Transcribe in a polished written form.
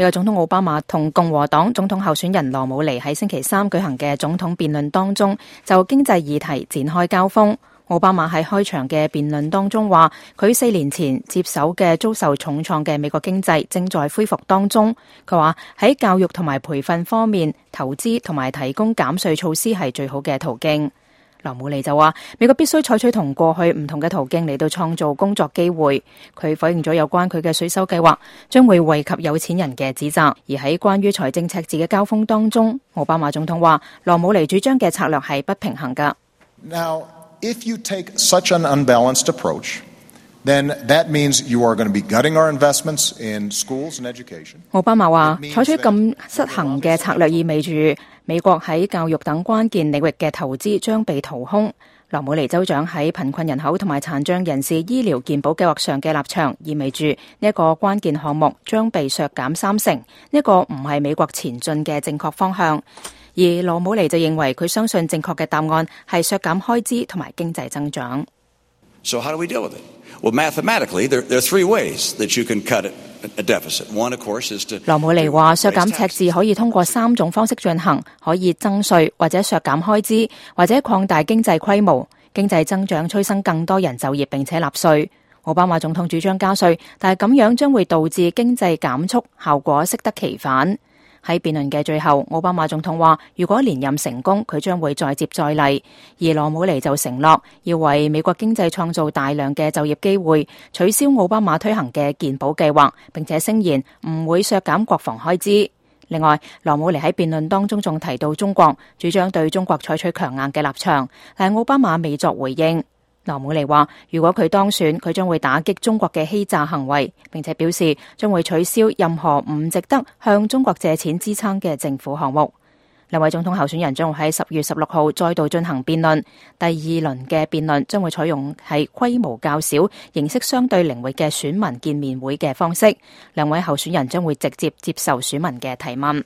美國總統奧巴馬同共和黨總統候選人羅姆尼喺星期三舉行嘅總統辯論當中，就經濟議題展開交鋒。奧巴馬喺開場嘅辯論當中話，佢4年前接手嘅遭受重創嘅美國經濟正在恢復當中。佢話喺教育同埋培訓方面，投資同埋提供減稅措施係最好嘅途徑。羅姆尼就話，美國必須採取同過去唔同嘅途徑嚟到創造工作機會。佢否認咗有關佢嘅稅收計劃將會惠及有錢人嘅指責。而喺關於財政赤字嘅交鋒當中，奧巴馬總統話，羅姆尼主張嘅策略係不平衡㗎。Now, if you take such an unbalanced approach, then that means you are going to be gutting our investments in schools and education. 奧巴馬話，採取咁失衡嘅策略意味住美國喺教育等關鍵領域嘅投資將被掏空。羅姆尼州長喺貧困人口同埋殘障人士醫療健保計劃上嘅立場，意味住呢一個關鍵項目將被削減30%，呢個唔係美國前進嘅正確方向。而羅姆尼就認為佢相信正確嘅答案係削減開支同埋經濟增長。So how do we deal with it? Well, mathematically, there are three ways that you can cut a deficit. One, of course, is to... 羅姆尼話，削減赤字可以通過3種方式進行，可以增稅或者削減開支，或者擴大經濟規模。經濟增長催生更多人就業並且納稅。奧巴馬總統主張加稅，但係咁樣將會導致經濟減速，效果適得其反。喺辯論嘅最後，奧巴馬總統話，如果連任成功，佢將會再接再厲。而羅姆尼就承諾要為美國經濟創造大量嘅就業機會，取消奧巴馬推行嘅健保計劃，並且聲言唔會削減國防開支。另外，羅姆尼喺辯論當中仲提到中國，主張對中國採取強硬嘅立場，但奧巴馬未作回應。羅姆尼話，如果佢當選，佢將會打擊中國嘅欺詐行為，並且表示將會取消任何唔值得向中國借錢支撐嘅政府項目。兩位總統候選人將會喺10月16號再度進行辯論，第二輪嘅辯論將會採用係規模較小、形式相對靈活嘅選民見面會嘅方式。兩位候選人將會直接接受選民嘅提問。